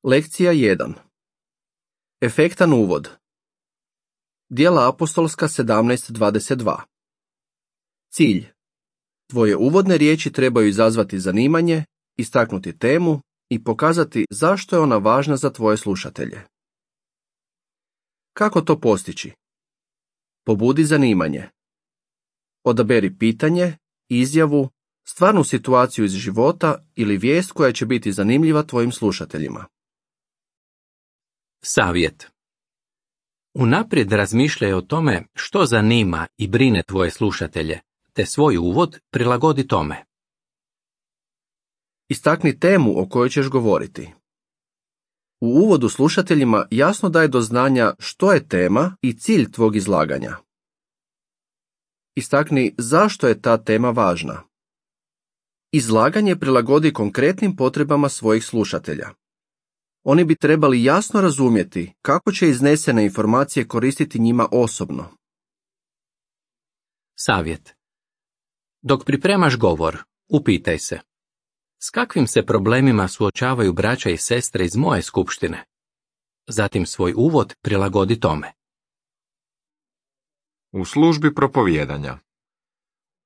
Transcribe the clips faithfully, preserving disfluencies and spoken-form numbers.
Lekcija jedan. Efektan uvod. Djela apostolska sedamnaest dvadeset dva. Cilj. Tvoje uvodne riječi trebaju izazvati zanimanje, istaknuti temu i pokazati zašto je ona važna za tvoje slušatelje. Kako to postići? Pobudi zanimanje. Odaberi pitanje, izjavu, stvarnu situaciju iz života ili vijest koja će biti zanimljiva tvojim slušateljima. Savjet. Unaprijed razmišljaj o tome što zanima i brine tvoje slušatelje, te svoj uvod prilagodi tome. Istakni temu o kojoj ćeš govoriti. U uvodu slušateljima jasno daj do znanja što je tema i cilj tvog izlaganja. Istakni zašto je ta tema važna. Izlaganje prilagodi konkretnim potrebama svojih slušatelja. Oni bi trebali jasno razumjeti kako će iznesene informacije koristiti njima osobno. Savjet. Dok pripremaš govor, upitaj se: s kakvim se problemima suočavaju braća i sestre iz moje skupštine? Zatim svoj uvod prilagodi tome. U službi propovijedanja.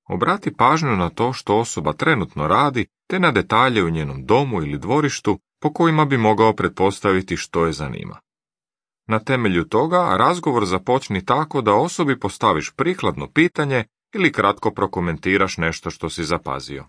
Obrati pažnju na to što osoba trenutno radi, te na detalje u njenom domu ili dvorištu po kojima bi mogao pretpostaviti što je zanima. Na temelju toga razgovor započni tako da osobi postaviš prikladno pitanje ili kratko prokomentiraš nešto što si zapazio.